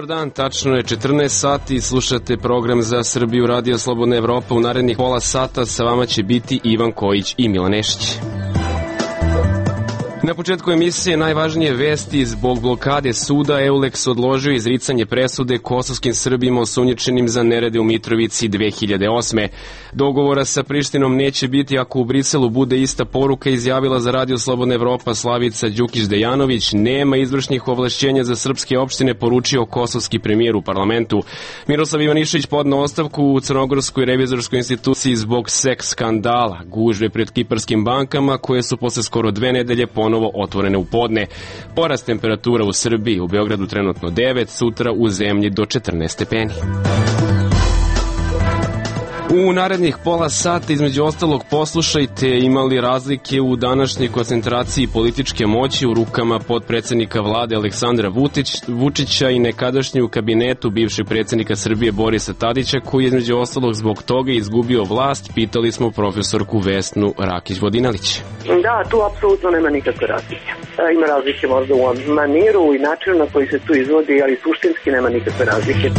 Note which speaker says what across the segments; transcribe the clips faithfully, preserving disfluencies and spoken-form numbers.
Speaker 1: Dobar dan, tačno je četrnaest sati i slušate program Za Srbiju Radio Slobodna Evropa. U narednih pola sata sa vama će biti Ivan Kojić i Milan Nešić. Na početku emisije najvažnije vesti. Zbog blokade suda Euleks odložio izricanje presude kosovskim Srbima osumnjičenim za nerede u Mitrovici dve hiljade osme. Dogovora sa Prištinom neće biti ako u Briselu bude ista poruka, izjavila za Radio Slobodna Evropa Slavica Đukić-Dejanović. Nema izvršnih ovlašćenja za srpske opštine, poručio kosovski premijer u parlamentu. Miroslav Ivanišević podneo ostavku u Crnogorskoj revizorskoj instituciji zbog seks skandala. Gužve pred kiparskim bankama koje su posle skoro dve nedelje ponovno otvorene u podne. Porast temperatura u Srbiji, u Beogradu trenutno devet, sutra u zemlji do četrnaest stepeni. U narednih pola sata, između ostalog, poslušajte imali razlike u današnjoj koncentraciji političke moći u rukama potpredsednika vlade Aleksandra Vučić, Vučića i nekadašnji u kabinetu bivšeg predsednika Srbije Borisa Tadića, koji je između ostalog zbog toga izgubio vlast. Pitali smo profesorku Vesnu Rakić-Vodinelić.
Speaker 2: Da, tu apsolutno nema nikakve razlike. Ima razlike možda u maniru i načinu na koji se tu izvodi, ali suštinski nema nikakve razlike.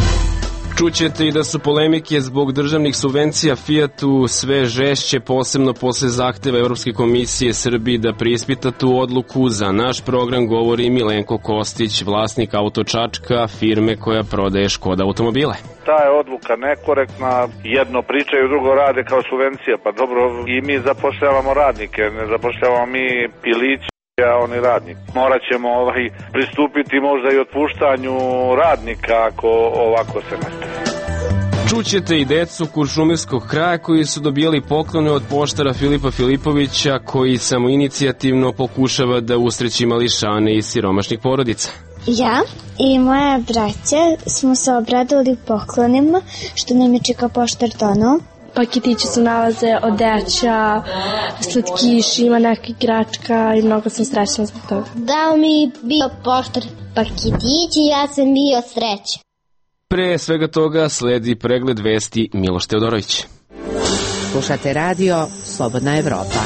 Speaker 1: Čućete i da su polemike zbog državnih subvencija Fijatu sve žešće, posebno posle zahteva Evropske komisije Srbiji da preispita tu odluku. Za naš program govori Milenko Kostić, vlasnik Auto Čačka, firme koja prodaje Škoda automobile.
Speaker 3: Ta je odluka nekorektna, jedno pričaju, drugo rade kao subvencija. Pa dobro, i mi zapošljavamo radnike, ne zapošljavamo mi pilići, a oni radnik. Morat ćemo ovaj, pristupiti možda i otpuštanju radnika ako ovako se nastavi.
Speaker 1: Čućete i decu Kuršumlijskog kraja koji su dobijali poklone od poštara Filipa Filipovića, koji samoinicijativno pokušava da usreći mališane iz siromašnih porodica.
Speaker 4: Ja i moja braća smo se obradovali poklonima što nam je čeka poštar donao.
Speaker 5: Paketići su nalaze odeća, slatkiši, ima neka igračka i mnogo sam srećna zbog toga.
Speaker 4: Dao mi bio poštar paketići i ja sam bio srećan.
Speaker 1: Pre svega toga sledi pregled vesti Miloš Teodorović.
Speaker 6: Slušate radio Slobodna Evropa.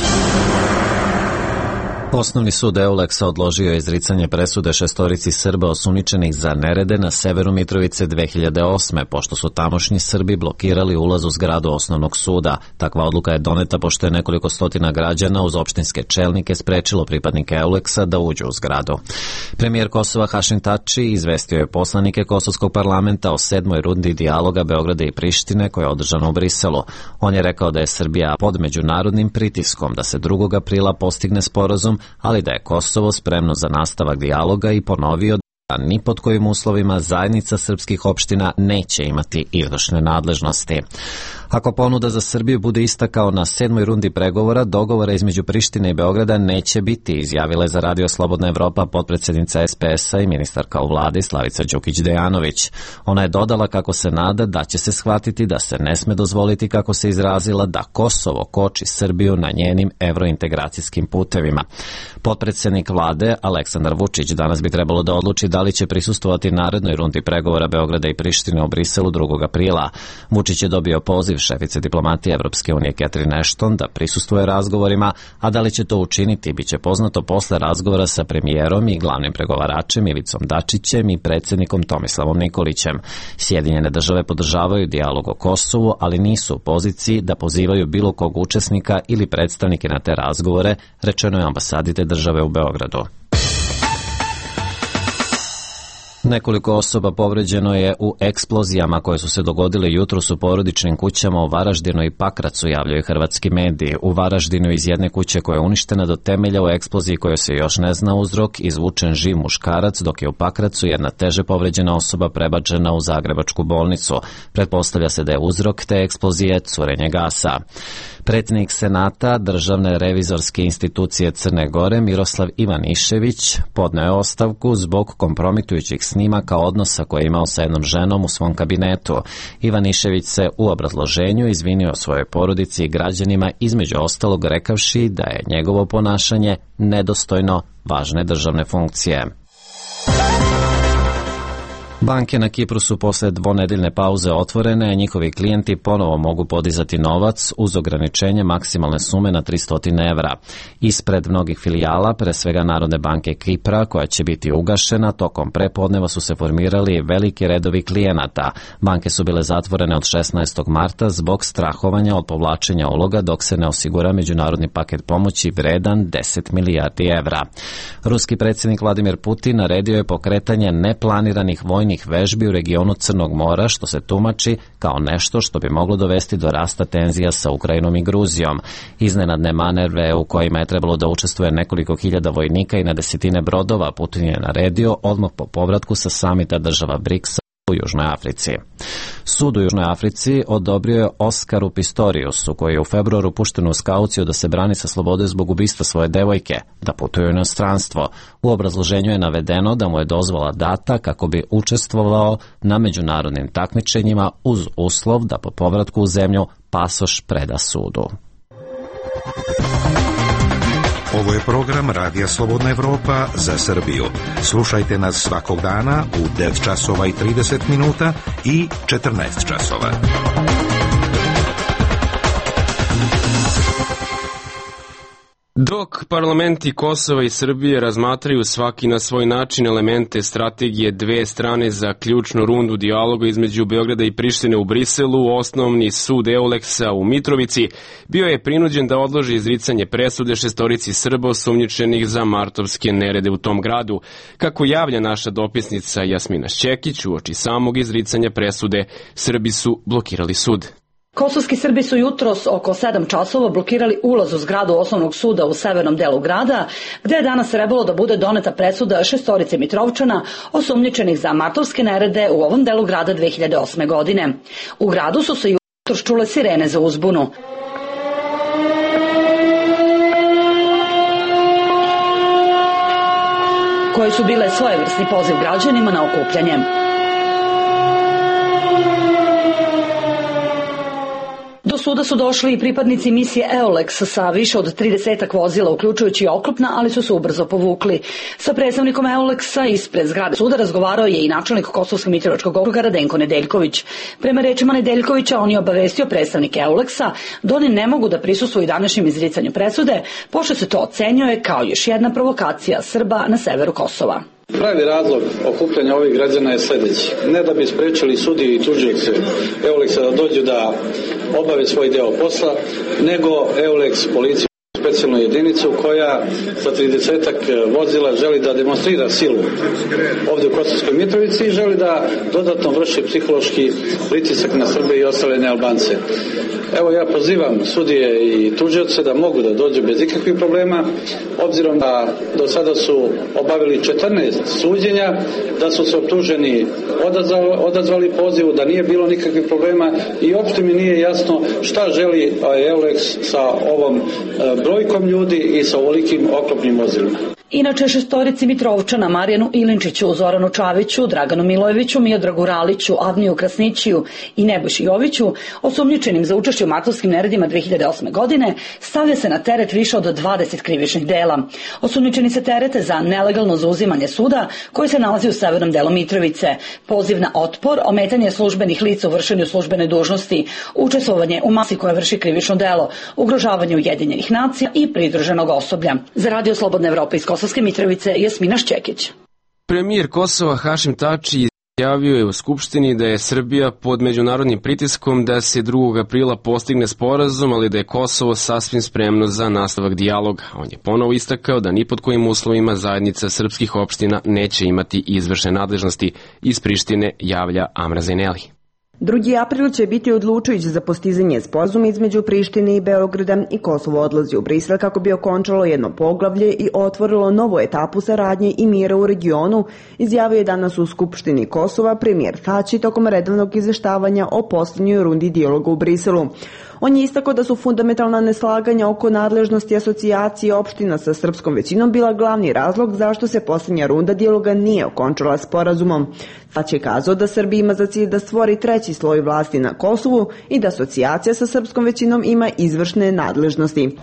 Speaker 7: Osnovni sud Euleksa odložio je izricanje presude šestorici Srba osumnjičenih za nerede na severu Mitrovice dve hiljade osme, pošto su tamošnji Srbi blokirali ulaz u zgradu osnovnog suda. Takva odluka je doneta pošto je nekoliko stotina građana uz opštinske čelnike sprečilo pripadnike Euleksa da uđu u zgradu. Premijer Kosova Hašim Tači izvestio je poslanike Kosovskog parlamenta o sedmoj rundi dijaloga Beograda i Prištine koja je održana u Briselu. On je rekao da je Srbija pod međunarodnim pritiskom da se drugog aprila postigne sporazum, ali da je Kosovo spremno za nastavak dijaloga i ponovio da ni pod kojim uslovima zajednica srpskih opština neće imati izvršne nadležnosti. Ako ponuda za Srbiju bude ista kao na sedmoj rundi pregovora, dogovora između Prištine i Beograda neće biti, izjavila je za Radio Slobodna Evropa potpredsjednica es pe es a i ministarka u vladi Slavica Đukić-Dejanović. Ona je dodala kako se nada da će se shvatiti da se ne sme dozvoliti, kako se izrazila, da Kosovo koči Srbiju na njenim evrointegracijskim putevima. Potpredsjednik vlade Aleksandar Vučić danas bi trebalo da odluči da li će prisustvovati narednoj rundi pregovora Beograda i Prištine u Briselu drugog aprila. Vučić je dobio poziv šefice diplomatije Evropske unije Catherine Ashton da prisustvuje razgovorima, a da li će to učiniti biće poznato posle razgovora sa premijerom i glavnim pregovaračem Ivicom Dačićem i predsjednikom Tomislavom Nikolićem. Sjedinjene države podržavaju dijalog o Kosovu, ali nisu u poziciji da pozivaju bilo kog učesnika ili predstavnike na te razgovore, rečeno je ambasadi te države u Beogradu. Nekoliko osoba povređeno je u eksplozijama koje su se dogodile jutros u porodičnim kućama u Varaždinu i Pakracu, javljaju hrvatski mediji. U Varaždinu iz jedne kuće koja je uništena do temelja u eksploziji koje se još ne zna uzrok izvučen živ muškarac, dok je u Pakracu jedna teže povređena osoba prebačena u zagrebačku bolnicu. Pretpostavlja se da je uzrok te eksplozije curenje gasa. Predsjednik Senata Državne revizorske institucije Crne Gore Miroslav Ivanišević podneo je ostavku zbog kompromitujućih snimaka odnosa koje je imao sa jednom ženom u svom kabinetu. Ivanišević se u obrazloženju izvinio svojoj porodici i građanima, između ostalog rekavši da je njegovo ponašanje nedostojno važne državne funkcije. Banke na Kipru su posle dvonedeljne pauze otvorene, a njihovi klijenti ponovo mogu podizati novac uz ograničenje maksimalne sume na tristo evra. Ispred mnogih filijala, pre svega Narodne banke Kipra, koja će biti ugašena, tokom prepodneva su se formirali veliki redovi klijenata. Banke su bile zatvorene od šesnaestog marta zbog strahovanja od povlačenja uloga dok se ne osigura međunarodni paket pomoći vredan deset milijardi evra. Ruski predsjednik Vladimir Putin naredio je pokretanje neplaniranih vojnih vežbi u regionu Crnog mora, što se tumači kao nešto što bi moglo dovesti do rasta tenzija sa Ukrajinom i Gruzijom. Iznenadne manerve u kojima je trebalo da učestvuje nekoliko hiljada vojnika i na desetine brodova Putin je naredio odmah po povratku sa samita država briksa u Južnoj Africi. Sud u Južnoj Africi odobrio je Oskaru Pistoriusu, koji je u februaru pušten uz kauciju da se brani sa slobode zbog ubistva svoje devojke, da putuje u inostranstvo. U obrazloženju je navedeno da mu je dozvola data kako bi učestvovao na međunarodnim takmičenjima uz uslov da po povratku u zemlju pasoš preda sudu.
Speaker 8: Ovo je program Radija Slobodna Evropa za Srbiju. Slušajte nas svakog dana u devet časova i trideset minuta i četrnaest časova.
Speaker 1: Dok parlamenti Kosova i Srbije razmatraju svaki na svoj način elemente strategije dve strane za ključnu rundu dijaloga između Beograda i Prištine u Briselu, osnovni sud Euleksa u Mitrovici bio je prinuđen da odloži izricanje presude šestorici Srba osumnjičenih za martovske nerede u tom gradu. Kako javlja naša dopisnica Jasmina Šćekić, uoči samog izricanja presude, Srbi su blokirali sud.
Speaker 9: Kosovski Srbi su jutros oko sedam časova blokirali ulaz u zgradu osnovnog suda u severnom delu grada, gde je danas trebalo da bude doneta presuda šestorice Mitrovčana osumnjičenih za martovske nerede u ovom delu grada dve hiljade osme. godine. U gradu su se jutros čule sirene za uzbunu. Koje su bile svojevrsni poziv građanima na okupljanje. Do suda su došli i pripadnici misije Euleks sa više od tridesetak vozila, uključujući oklopna, ali su se ubrzo povukli. Sa predstavnikom Euleksa ispred zgrade suda razgovarao je i načelnik Kosovskog Mitrovičkog okruga Radenko Nedeljković. Prema rečima Nedeljkovića, on je obavestio predstavnike Euleksa da oni ne mogu da prisustvuju današnjem izricanju presude, pošto se to ocenjuje kao još jedna provokacija Srba na severu Kosova.
Speaker 10: Pravi razlog okupljanja ovih građana je sljedeći. Ne da bi sprečili sudije i tužioce Euleksa da dođu da obave svoj deo posla, nego Euleks policiju, specijalnu jedinicu koja sa tridesetak vozila želi da demonstrira silu ovdje u Kosovskoj Mitrovici i želi da dodatno vrši psihološki pritisak na Srbe i ostale nealbance. Evo ja pozivam sudije i tužioce da mogu da dođu bez ikakvih problema, obzirom da do sada su obavili četrnaest suđenja, da su se optuženi odazvali, odazvali pozivu, da nije bilo nikakvih problema i uopšte mi nije jasno šta želi Euleks sa ovom brojkom ljudi i sa ovolikim oklopnim vozilima.
Speaker 9: Inače, šestorici Mitrovčana, Marijanu Ilinčiću, Zoranu Čaviću, Draganu Milojeviću, Miodragu Raliću, Avniju Krasnićiju i Nebojši Joviću, osumnjičenim za učešće u martovskim neredima dve hiljade osme. godine, stavlja se na teret više od dvadeset krivičnih dela. Osumnjičeni se terete za nelegalno zauzimanje suda koji se nalazi u severnom delu Mitrovice, poziv na otpor, ometanje službenih lica u vršenju službene dužnosti, učestvovanje u masi koja vrši krivično delo, ugrožavanje Ujedinjenih nacija i pridruženog osoblja. Za Radio Slobodna Evropa iz Kosovske Mitrovice, Jasmina Šćekić.
Speaker 1: Premijer Kosova Hašim Tači izjavio je u Skupštini da je Srbija pod međunarodnim pritiskom da se drugog aprila postigne sporazum, ali da je Kosovo sasvim spremno za nastavak dijaloga. On je ponovo istakao da ni pod kojim uslovima zajednica srpskih opština neće imati izvršne nadležnosti. Iz Prištine javlja Amra Zeneli.
Speaker 11: Drugi april će biti odlučujući za postizanje sporazuma između Prištine i Beograda i Kosovo odlazi u Brisel kako bi okončalo jedno poglavlje i otvorilo novu etapu saradnje i mira u regionu, izjavio je danas u Skupštini Kosova premijer Tači tokom redovnog izveštavanja o posljednjoj rundi dijaloga u Briselu. On je istakao da su fundamentalna neslaganja oko nadležnosti asocijacije opština sa srpskom većinom bila glavni razlog zašto se posljednja runda dijaloga nije okončala sporazumom. Tać je kazao da Srbija ima za cilj da stvori treći sloj vlasti na Kosovu i da asocijacija sa srpskom većinom ima izvršne nadležnosti.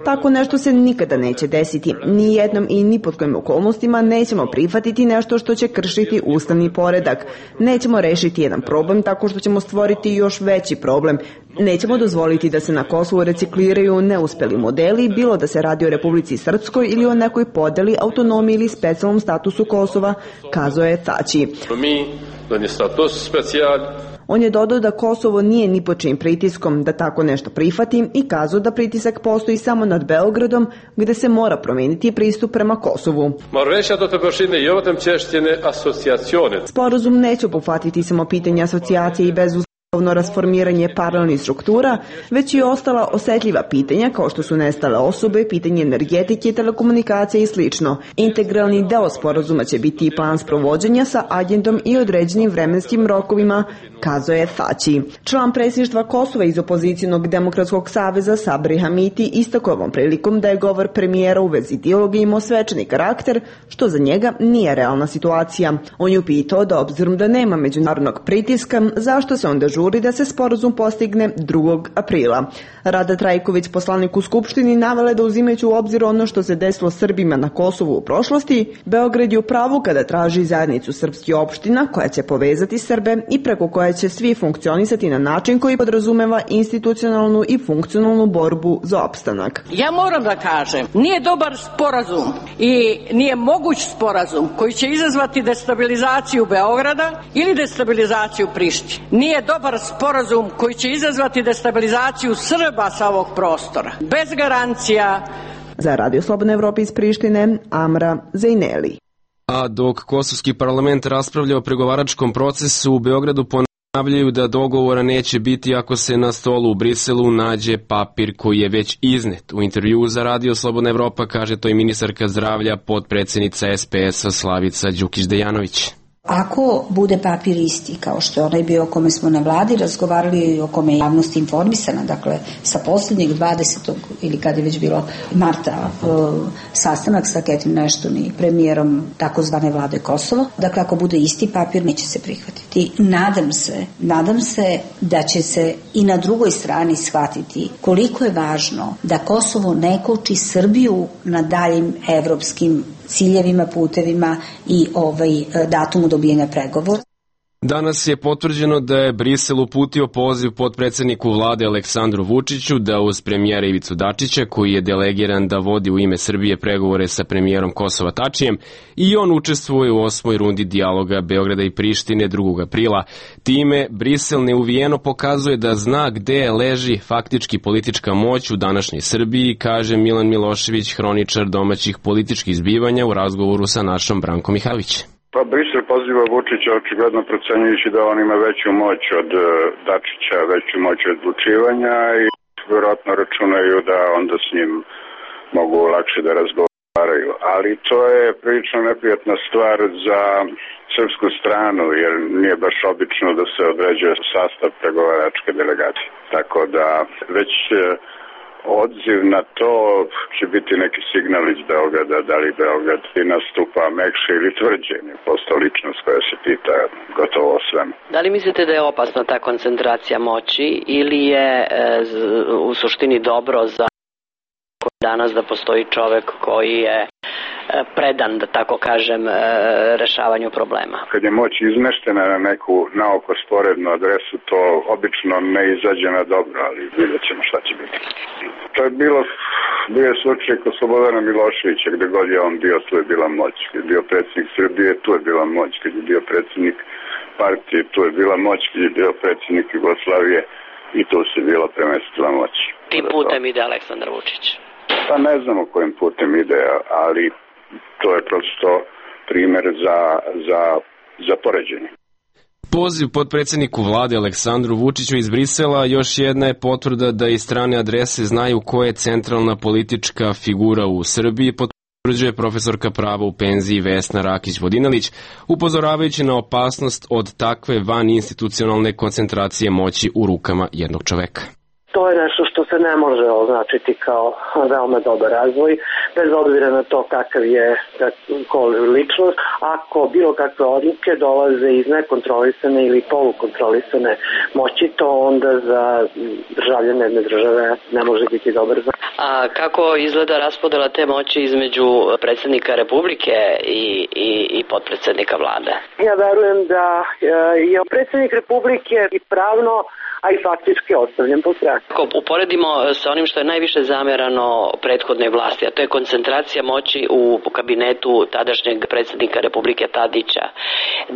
Speaker 11: Tako nešto se nikada neće desiti. Ni jednom i ni pod kojim okolnostima nećemo prihvatiti nešto što će kršiti ustavni poredak. Nećemo rešiti jedan problem tako što ćemo stvoriti još veći problem. Nećemo dozvoliti da se na Kosovu recikliraju neuspeli modeli, bilo da se radi o Republici Srpskoj ili o nekoj podeli, autonomiji ili specijalnom statusu Kosova, kazao je Tači. On je dodao da Kosovo nije ni pod čijim pritiskom da tako nešto prihvati i kazao da pritisak postoji samo nad Beogradom, gde se mora promeniti pristup prema Kosovu. Sporazum neće obuhvatiti samo pitanje asocijacije i bezuslovno rasformiranje paralelnih struktura, već i ostala osetljiva pitanja kao što su nestale osobe, pitanje energetike, telekomunikacije i slično. Integralni deo sporazuma će biti i plan sprovođenja sa agendom i određenim vremenskim rokovima, kazao je Tači. Član predsjedništva Kosova iz opozicionog demokratskog saveza Sabri Hamiti istakao ovom prilikom da je govor premijera u vezi dijaloga imao svečani karakter, što za njega nije realna situacija. On je upitao da obzirom da nema međunarodnog pritiska, zašto se onda žuri da se sporazum postigne drugog aprila. Rada Trajković, poslanik u Skupštini, navela da uzimajući u obzir ono što se desilo Srbima na Kosovu u prošlosti, Beograd je u pravu kada traži zajednicu srpskih opština koja će povezati Srbe i preko koje će svi funkcionisati na način koji podrazumeva institucionalnu i funkcionalnu borbu za opstanak.
Speaker 12: Ja moram da kažem, nije dobar sporazum i nije moguć sporazum koji će izazvati destabilizaciju Beograda ili destabilizaciju Prištine. Nije dobar sporazum koji će izazvati destabilizaciju Srba sa ovog prostora. Bez garancija.
Speaker 11: Za Radio Slobodna Evropa iz Prištine, Amra Zejneli.
Speaker 1: A dok kosovski parlament raspravlja o pregovaračkom procesu, u Beogradu ponavljaju da dogovora neće biti ako se na stolu u Briselu nađe papir koji je već iznet. U intervjuu za Radio Slobodna Evropa kaže to i ministarka zdravlja, potpredsednica S P S-a Slavica Đukić-Dejanović.
Speaker 13: Ako bude papir isti kao što je onaj bio o kome smo na vladi razgovarali i o kome je javnost informisana, dakle sa posljednjeg dvadesetog ili kad je već bilo marta sastanak sa Catherine Ashton i premijerom takozvane vlade Kosova, dakle ako bude isti papir neće se prihvatiti. Nadam se, nadam se da će se i na drugoj strani shvatiti koliko je važno da Kosovo ne koči Srbiju na daljim evropskim ciljevima, putevima i ovaj datumu dobijanja pregovora.
Speaker 1: Danas je potvrđeno da je Brisel uputio poziv potpredsedniku vlade Aleksandru Vučiću da uz premijera Ivicu Dačića, koji je delegiran da vodi u ime Srbije pregovore sa premijerom Kosova Tačijem, i on učestvuje u osmoj rundi dijaloga Beograda i Prištine drugog aprila. Time Brisel neuvijeno pokazuje da zna gde leži faktički politička moć u današnjoj Srbiji, kaže Milan Milošević, hroničar domaćih političkih zbivanja u razgovoru sa našom Brankom Mihajlović.
Speaker 14: Pa Brisel poziva Vučića očigledno procenjujući da on ima veću moć od Dačića, veću moć od odlučivanja i vjerojatno računaju da onda s njim mogu lakše da razgovaraju. Ali to je prilično neprijatna stvar za srpsku stranu jer nije baš obično da se određuje sastav pregovaračke delegacije. Tako da već odziv na to će biti neki signal iz Beograda, da li Beograd nastupa mekše ili tvrđe, posto ličnost koja se pita gotovo o svemu.
Speaker 15: Da li mislite da je opasna ta koncentracija moći ili je e, u suštini dobro za danas da postoji čovek koji je predan, da tako kažem, rešavanju problema?
Speaker 14: Kad je moć izmeštena na neku naoko sporednu adresu, to obično ne izađe na dobro, ali vidjet ćemo šta će biti. To je bilo, bio je slučaj kod Slobodana Miloševića, gde god je on bio, tu je bila moć. Kad je bio predsjednik Srbije, tu je bila moć. Kad je bio predsjednik partije, tu je bila moć. Kad je bio predsjednik Jugoslavije, i tu se bila premestila moć.
Speaker 15: Tim putem ide Aleksandar Vučić?
Speaker 14: Pa ne znamo kojim putem ide, ali to je prosto primer za, za, za poređenje.
Speaker 1: Poziv potpredsjedniku vlade Aleksandru Vučiću iz Brisela još jedna je potvrda da i strane adrese znaju ko je centralna politička figura u Srbiji, potvrđuje utvrđuje profesorka prava u penziji Vesna Rakić-Vodinelić, upozoravajući na opasnost od takve vaninstitucionalne koncentracije moći u rukama jednog čoveka.
Speaker 2: To je nešto što se ne može označiti kao veoma dobar razvoj, bez obzira na to kakav je ličnost. Ako bilo kakve odluke dolaze iz nekontrolisane ili polukontrolisane moći, to onda za državljane jedne države ne može biti dobar za.
Speaker 15: A kako izgleda raspodela te moći između predsjednika Republike i, i, i potpredsjednika vlade?
Speaker 2: Ja verujem da je predsjednik Republike i pravno, a i faktički ostavljen po strani.
Speaker 15: Ako uporedimo sa onim što je najviše zamerano prethodnoj vlasti, a to je koncentracija moći u kabinetu tadašnjeg predsjednika Republike Tadića,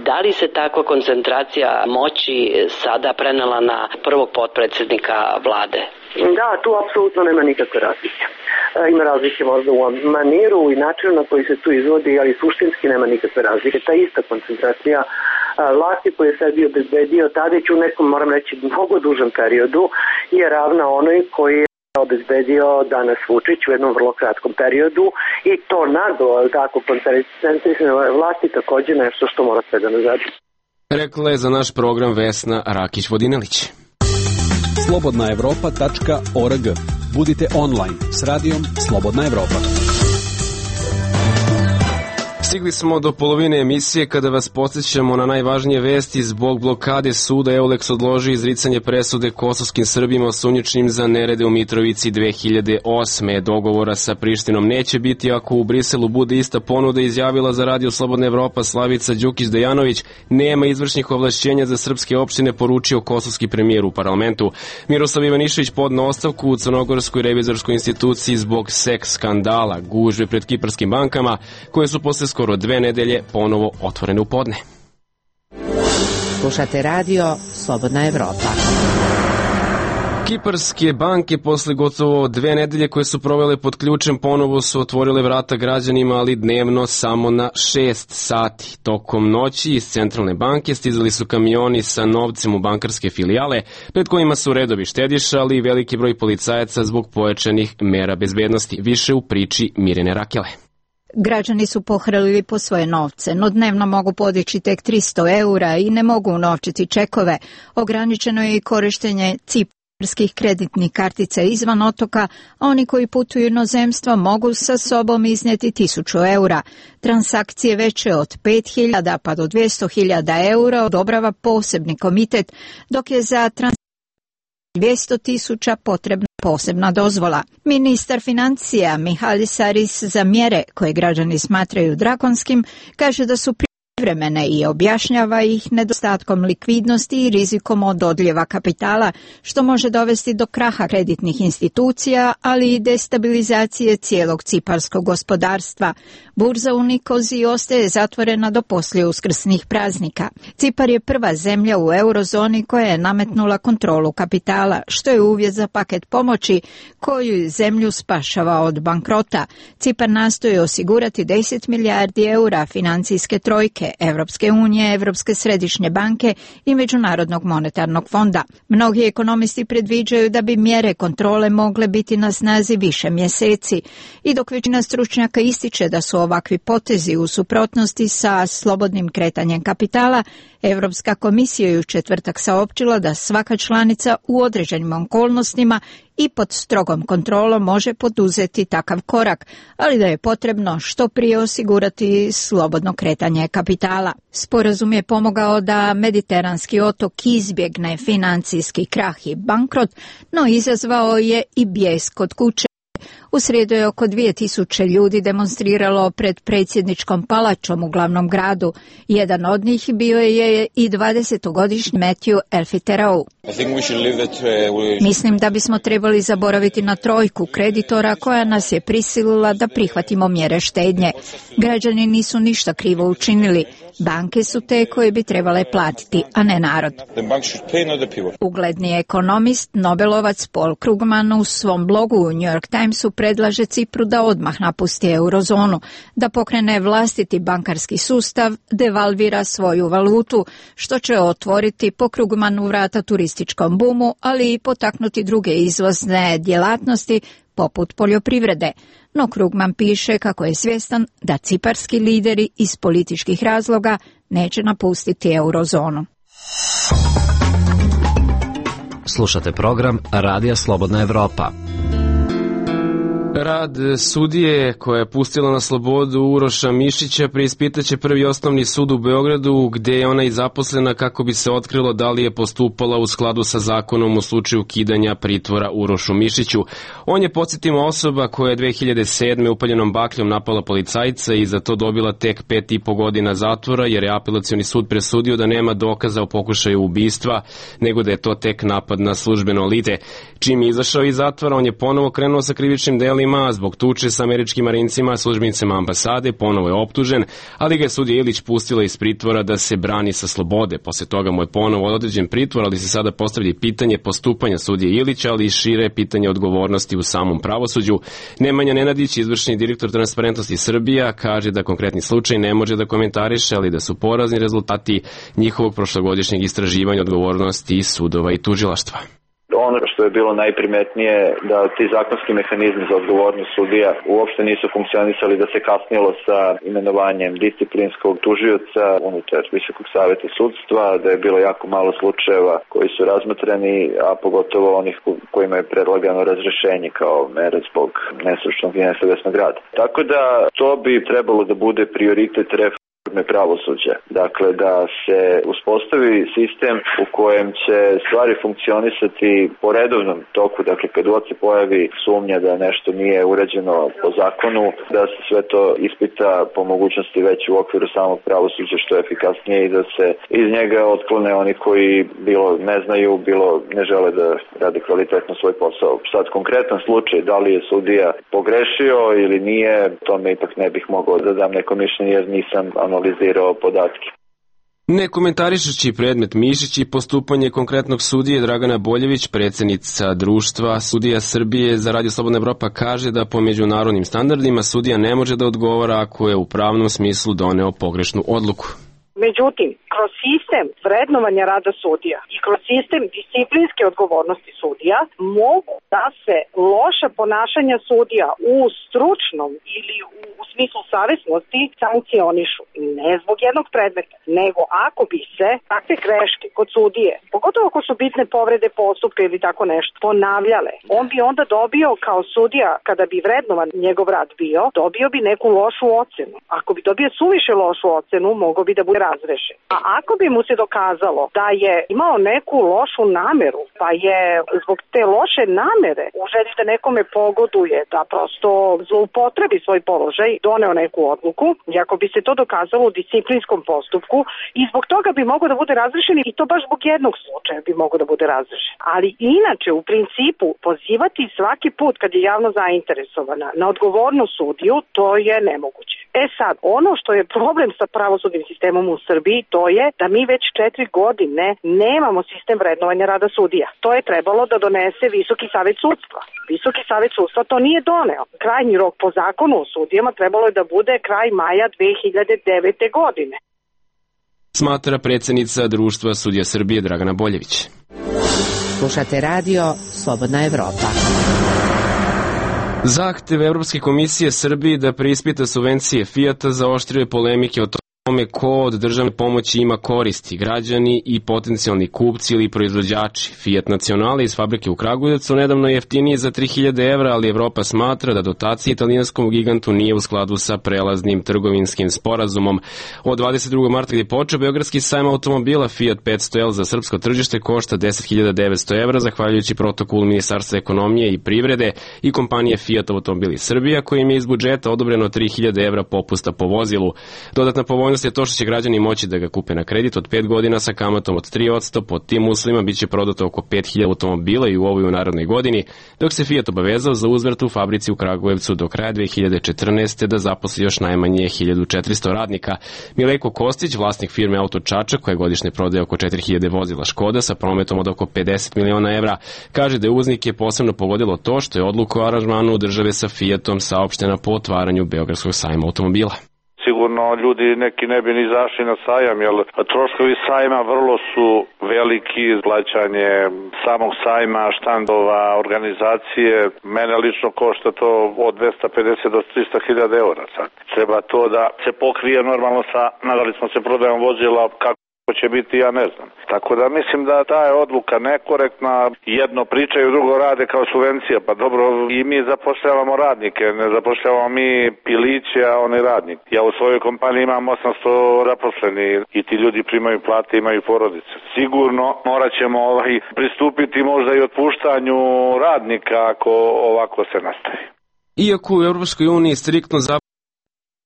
Speaker 15: da li se takva koncentracija moći sada prenela na prvog potpredsjednika vlade?
Speaker 2: Da, tu apsolutno nema nikakve razlike. Ima razlike možda u maniru i načinu na koji se tu izvodi, ali suštinski nema nikakve razlike. Ta ista koncentracija vlasti koju je sebi obezbedio Tadić u nekom, moram reći, mnogo dužem periodu je ravna onoj koji je obezbedio danas Vučić u jednom vrlo kratkom periodu i to naglo, tako, koncentrisane vlasti također nešto što mora sve da nazad.
Speaker 1: Rekla je za naš program Vesna Rakić-Vodinelić.
Speaker 16: slobodna evropa tačka org. Budite online s radijom Slobodna Evropa.
Speaker 1: Stigli smo do polovine emisije kada vas podsjećamo na najvažnije vesti. Zbog blokade suda Euleks odloži izricanje presude kosovskim Srbima osumnjičenim za nerede u Mitrovici dve hiljade osme. Dogovora sa Prištinom neće biti ako u Briselu bude ista ponuda, izjavila za radio Slobodna Evropa Slavica Đukić-Dejanović. Nema izvršnih ovlašćenja za srpske opštine, poručio kosovski premijer u parlamentu. Miroslav Ivanišević podneo ostavku u Crnogorskoj revizorskoj instituciji zbog seks skandala, gužve pred kiparskim bankama koje su posle skoro dve nedelje ponovo otvorene u podne.
Speaker 6: Slušate radio Slobodna Evropa.
Speaker 1: Kiparske banke posle gotovo dve nedelje koje su provele pod ključem ponovo su otvorile vrata građanima, ali dnevno samo na šest sati. Tokom noći iz centralne banke stizali su kamioni sa novcem u bankarske filijale, pred kojima su redovi štediša, ali i veliki broj policajaca zbog pojačanih mera bezbednosti. Više u priči Mirjane Rakele.
Speaker 17: Građani su pohrlili po svoje novce, no dnevno mogu podići tek tristo eura i ne mogu unovčiti čekove. Ograničeno je i korištenje ciparskih kreditnih kartica izvan otoka, a oni koji putuju inozemstvo mogu sa sobom iznijeti tisuću eura. Transakcije veće od pet hiljada pa do dvjesto hiljada eura odobrava posebni komitet, dok je za transakcije dvjesto tisuća potrebna posebna dozvola. Ministar financija Mihalis Saris za mjere koje građani smatraju drakonskim kaže da su privremene i objašnjava ih nedostatkom likvidnosti i rizikom od odljeva kapitala, što može dovesti do kraha kreditnih institucija, ali i destabilizacije cijelog ciparskog gospodarstva. Burza u Nikoziji ostaje zatvorena do poslije uskrsnih praznika. Cipar je prva zemlja u eurozoni koja je nametnula kontrolu kapitala, što je uvjet za paket pomoći koju zemlju spašava od bankrota. Cipar nastoji osigurati deset milijardi eura financijske trojke Evropske unije, Evropske središnje banke i Međunarodnog monetarnog fonda. Mnogi ekonomisti predviđaju da bi mjere kontrole mogle biti na snazi više mjeseci i dok većina stručnjaka ističe da su ovakvi potezi u suprotnosti sa slobodnim kretanjem kapitala, Europska komisija je u četvrtak saopćila da svaka članica u određenim okolnostima i pod strogom kontrolom može poduzeti takav korak, ali da je potrebno što prije osigurati slobodno kretanje kapitala. Sporazum je pomogao da mediteranski otok izbjegne financijski krah i bankrot, no izazvao je i bijes kod kuće. U srijedu je oko dvije tisuće ljudi demonstriralo pred predsjedničkom palačom u glavnom gradu. Jedan od njih bio je i dvadesetogodišnji Matthew Elfiterou. Mislim da bismo trebali zaboraviti na trojku kreditora koja nas je prisilila da prihvatimo mjere štednje. Građani nisu ništa krivo učinili. Banke su te koje bi trebale platiti, a ne narod. Ugledni ekonomist, Nobelovac Paul Krugman u svom blogu u New York Timesu predlaže Cipru da odmah napusti eurozonu, da pokrene vlastiti bankarski sustav, devalvira svoju valutu, što će otvoriti po krugmanu vrata turističkom bumu, ali i potaknuti druge izvozne djelatnosti poput poljoprivrede. No Krugman piše kako je svjestan da ciparski lideri iz političkih razloga neće napustiti eurozonu.
Speaker 7: Slušate program Radija Slobodna Evropa.
Speaker 1: Rad sudije koja je pustila na slobodu Uroša Mišića preispitaće Prvi osnovni sud u Beogradu, gde je ona i zaposlena kako bi se otkrilo da li je postupala u skladu sa zakonom u slučaju ukidanja pritvora Urošu Mišiću. On je, podsjetimo, osoba koja je dve hiljade sedme upaljenom bakljom napala policajca i za to dobila tek pet i po godina zatvora, jer je apelacioni sud presudio da nema dokaza o pokušaju ubistva, nego da je to tek napad na službeno lice. Čim je izašao iz zatvora, on je ponovo krenuo sa krivičnim delima, zbog tuče sa američkim marincima, službenicima ambasade, ponovo je optužen, ali ga je sudija Ilić pustila iz pritvora da se brani sa slobode. Posle toga mu je ponovo određen pritvor, ali se sada postavlja pitanje postupanja sudije Ilića, ali i šire pitanje odgovornosti u samom pravosuđu. Nemanja Nenadić, izvršni direktor Transparentnosti Srbija, kaže da konkretni slučaj ne može da komentariše, ali da su porazni rezultati njihovog prošlogodišnjeg istraživanja odgovornosti sudova i tužilaštva.
Speaker 18: Ono što je bilo najprimetnije da ti zakonski mehanizmi za odgovornost sudija uopšte nisu funkcionisali, da se kasnilo sa imenovanjem disciplinskog tužioca unutar Visokog saveta sudstva, da je bilo jako malo slučajeva koji su razmatrani, a pogotovo onih kojima je predlagano razrešenje kao mere zbog nestručnog i nesavesnog rada. Tako da to bi trebalo da bude prioritet reforme pravosuđa. Dakle, da se uspostavi sistem u kojem će stvari funkcionisati po redovnom toku. Dakle, kad god se pojavi sumnja da nešto nije urađeno po zakonu, da se sve to ispita po mogućnosti već u okviru samog pravosuđa što je efikasnije i da se iz njega otklone oni koji bilo ne znaju, bilo ne žele da rade kvalitetno svoj posao. Sad, konkretan slučaj, da li je sudija pogrešio ili nije, tome ipak ne bih mogao da dam neko mišljenje jer nisam analizirao podatke.
Speaker 1: Ne komentarišući predmet Mišić i postupanje konkretnog sudije, Dragana Boljević, predsjednica društva Sudija Srbije za Radio Slobodna Evropa, kaže da po međunarodnim standardima sudija ne može da odgovara ako je u pravnom smislu doneo pogrešnu odluku.
Speaker 19: Međutim, kroz sistem vrednovanja rada sudija i kroz sistem disciplinske odgovornosti sudija mogu da se loša ponašanja sudija u stručnom ili u, u smislu savesnosti sankcionišu. Ne zbog jednog predmeta, nego ako bi se takve greške kod sudije, pogotovo ako su bitne povrede postupka ili tako nešto, ponavljale, on bi onda dobio kao sudija, kada bi vrednovan njegov rad bio, dobio bi neku lošu ocenu. Ako bi dobio suviše lošu ocenu, mogao bi da bude razrešen. A ako bi mu se dokazalo da je imao neku lošu nameru, pa je zbog te loše namere u želji da nekome pogoduje, da prosto zloupotrebi svoj položaj, doneo neku odluku, i ako bi se to dokazalo u disciplinskom postupku, i zbog toga bi mogao da bude razrešen, i to baš zbog jednog slučaja bi mogao da bude razrešen. Ali inače, u principu, pozivati svaki put kad je javno zainteresovana na odgovornu sudiju, to je nemoguće. E sad, ono što je problem sa pravosudnim sistemom u Srbiji, to je da mi već četiri godine nemamo sistem vrednovanja rada sudija. To je trebalo da donese Visoki savet sudstva. Visoki savet sudstva to nije doneo. Krajnji rok po zakonu o sudijama trebalo je da bude kraj maja dve hiljade devete. godine.
Speaker 1: Smatra predsjednica društva Sudija Srbije Dragana Boljević.
Speaker 6: Slušate radio Slobodna Evropa.
Speaker 1: Zahtev Evropske komisije Srbiji da preispita subvencije Fijata zaoštrio je polemike o tome ko od državne pomoći ima koristi, građani i potencijalni kupci ili proizvođači. Fiat Nacionale iz fabrike u Kragujevcu nedavno je jeftiniji za tri hiljade evra, ali Evropa smatra da dotacija italijanskom gigantu nije u skladu sa prelaznim trgovinskim sporazumom. Od dvadeset drugog marta gdje je počeo Beogradski sajam automobila, Fiat petsto L za srpsko tržište košta deset hiljada devetsto evra, zahvaljujući protokolu Ministarstva ekonomije i privrede i kompanije Fiat Automobili Srbija, kojim je iz budžeta odobreno tri hiljade evra popusta po vozilu. Dodatna povoljnost Prednost je to što će građani moći da ga kupe na kredit od pet godina sa kamatom od tri posto. Pod tim uslovima biće prodato oko pet hiljada automobila i u ovoj u narodnoj godini, dok se Fiat obavezao za uzvrat u fabrici u Kragujevcu do kraja dve hiljade četrnaeste. da zaposli još najmanje hiljadu četiristo radnika. Mileko Kostić, vlasnik firme Auto Čačak, koja godišnje prodaje oko četiri hiljade vozila Škoda sa prometom od oko pedeset miliona evra, kaže da je uvoznike posebno pogodilo to što je odluka o aranžmanu države sa Fiatom saopštena po otvaranju Beogradskog sajma automobila.
Speaker 3: Sigurno ljudi neki ne bi ni zašli na sajam, jer troškovi sajma vrlo su veliki, plaćanje samog sajma, štandova, organizacije. Mene lično košta to od dvesta pedeset do trista hiljada eura sad. Treba to da se pokrije normalno sa, nadali smo se prodajom vozila, kako će biti, ja ne znam. Tako da mislim da ta je odluka nekorektna, jedno pričaju, drugo rade kao subvencija, pa dobro, i mi zapošljavamo radnike, ne zapošljavamo mi piliće, a oni radnik. Ja u svojoj kompaniji imam osamsto zaposleni i ti ljudi primaju plate, imaju porodice. Sigurno morat ćemo ovaj, pristupiti možda i otpuštanju radnika ako ovako se nastavi.
Speaker 1: Iako u Europskoj uniji striktno za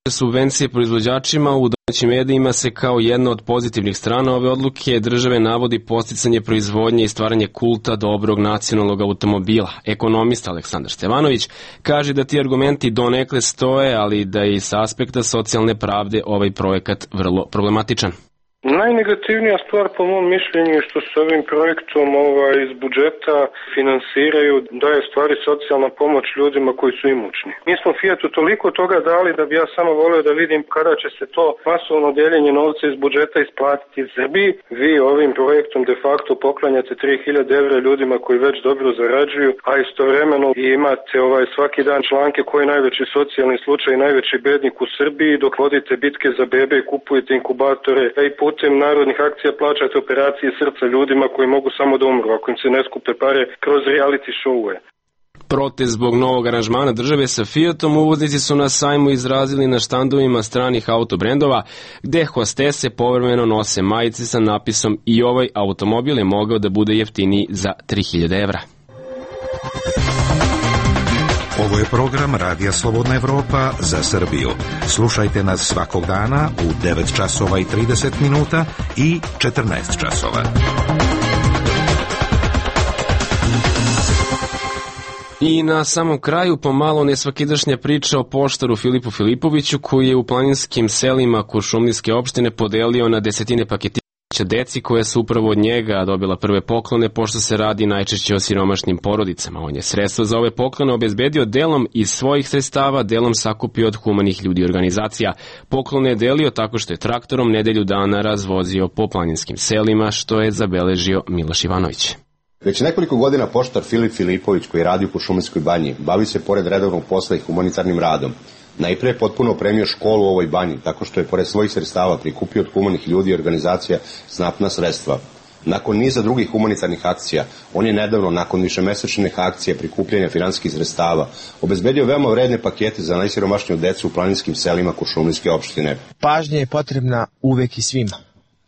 Speaker 1: subvencije proizvođačima, u domaćim medijima se kao jedna od pozitivnih strana ove odluke države navodi podsticanje proizvodnje i stvaranje kulta dobrog nacionalnog automobila. Ekonomista Aleksandar Stevanović kaže da ti argumenti donekle stoje, ali da je i sa aspekta socijalne pravde ovaj projekat vrlo problematičan.
Speaker 20: Najnegativnija stvar po mom mišljenju je što se ovim projektom ovaj, iz budžeta finansiraju, da je stvari socijalna pomoć ljudima koji su imućni. Mi smo Fiatu toliko toga dali da bi ja samo volio da vidim kada će se to masovno deljenje novca iz budžeta isplatiti Srbiji. Vi ovim projektom de facto poklanjate tri hiljade evra ljudima koji već dobro zarađuju, a istovremeno imate ovaj, svaki dan članke koji je najveći socijalni slučaj, najveći bednik u Srbiji, dok vodite bitke za bebe i kupujete inkubatore i put putem narodnih akcija plaćate operacije srca ljudima koji mogu samo da umru ako im se ne skupe pare kroz reality show-ue.
Speaker 1: Protest zbog novog aranžmana države sa Fiatom uvoznici su na sajmu izrazili na štandovima stranih autobrendova, gde hostese povremeno nose majice sa napisom "I ovaj automobil je mogao da bude jeftiniji za tri hiljade evra".
Speaker 8: Ovo je program Radija Slobodna Evropa za Srbiju. Slušajte nas svakog dana u devet časova i trideset minuta i četrnaest časova.
Speaker 1: I na samom kraju pomalo nesvakidašnja priča o poštaru Filipu Filipoviću, koji je u planinskim selima Kuršumlijske opštine podelio na desetine paketića deci koja su upravo od njega dobila prve poklone, pošto se radi najčešće o siromašnim porodicama. On je sredstva za ove poklone obezbedio delom iz svojih sredstava, delom sakupio od humanih ljudi i organizacija. Poklone je delio tako što je traktorom nedelju dana razvozio po planinskim selima, što je zabeležio Miloš Ivanović.
Speaker 21: Već nekoliko godina poštar Filip Filipović, koji radi u Kuršumlijskoj banji, bavi se pored redovnog posla i humanitarnim radom. Najpre je potpuno opremio školu u ovoj banji, tako što je pored svojih sredstava prikupio od humanih ljudi i organizacija znatna sredstva. Nakon niza drugih humanitarnih akcija, on je nedavno, nakon višemesečnih akcija prikupljanja finansijskih sredstava, obezbedio veoma vredne pakete za najsiromašniju decu u planinskim selima Kuršumlijske opštine.
Speaker 22: Pažnja je potrebna uvek i svima,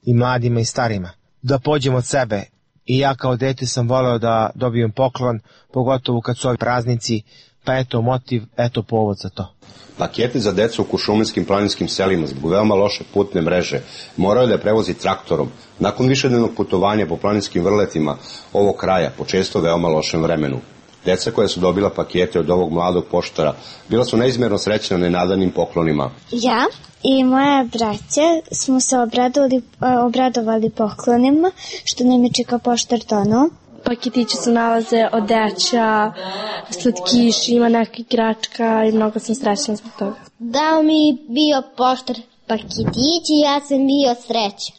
Speaker 22: i mladima i starima, da pođemo od sebe. I ja kao dete sam voleo da dobijem poklon, pogotovo kad su ovi praznici, pa eto motiv, eto povod za to.
Speaker 21: Pakete za decu u kuršumlijskim planinskim selima zbog veoma loše putne mreže morao je da prevozi traktorom. Nakon višednevnog putovanja po planinskim vrletima ovog kraja, po često veoma lošem vremenu. Deca koja su dobila pakete od ovog mladog poštara bila su neizmjerno srećna nenadanim poklonima.
Speaker 4: Ja i moja braća smo se obradovali, obradovali poklonima što nam je čika poštar donao.
Speaker 5: Paketići se nalaze odeća, slatkiši, ima neka igračka i mnogo sam srećna zbog toga.
Speaker 23: Dao mi bio poštar paketići i ja sam bio srećan.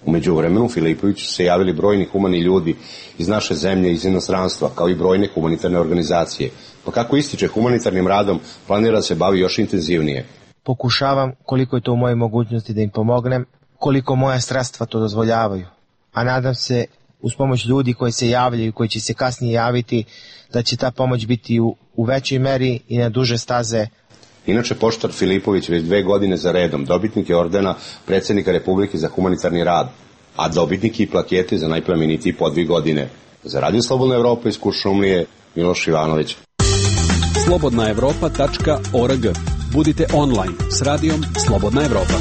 Speaker 21: U međuvremenu Filipoviću se javili brojni humani ljudi iz naše zemlje i iz inostranstva, kao i brojne humanitarne organizacije. Pa kako ističe humanitarnim radom, planira da se bavi još intenzivnije.
Speaker 22: Pokušavam koliko je to u mojoj mogućnosti da im pomognem, koliko moja sredstva to dozvoljavaju. A nadam se, uz pomoć ljudi koji se javljaju, koji će se kasnije javiti, da će ta pomoć biti u, u većoj meri i na duže staze.
Speaker 21: Inače, poštar Filipović već dve godine za redom dobitnik je ordena predsjednika Republike za humanitarni rad, a dobitnik i plakete za najplemenitiji podvig godine. Za Radio Slobodna Evropa iz Kuršumlije, Miloš Ivanović.
Speaker 16: slobodna evropa tačka org. Budite online s radijom Slobodna Evropa.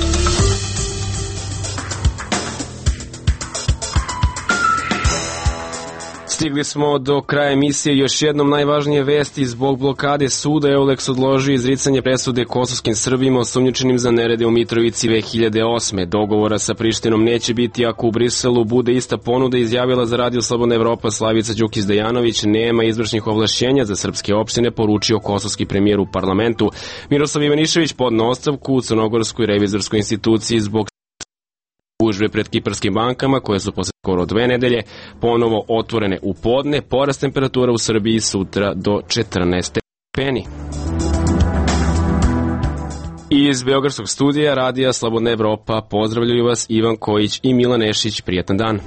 Speaker 1: Stigli smo do kraja emisije. Još jednom najvažnije vesti: zbog blokade suda Euleks odložio izricanje presude kosovskim Srbima osumnjičenim za nerede u Mitrovici dve hiljade osme. Dogovora sa Prištinom neće biti ako u Briselu bude ista ponuda, izjavila za Radio Slobodna Evropa Slavica Đukić-Dejanović. Nema izvršnih ovlašćenja za srpske opštine, poručio kosovski premijer u parlamentu. Miroslav Ivanišević podneo ostavku u Crnogorskoj revizorskoj instituciji zbog gužve pred kiparskim bankama, koje su posle skoro dve nedelje ponovo otvorene u podne. Porast temperatura u Srbiji sutra do četrnaest stepeni. Iz Beogradskog studija Radija Slobodna Evropa pozdravljaju vas Ivan Kojić i Milan Nešić. Prijatan dan.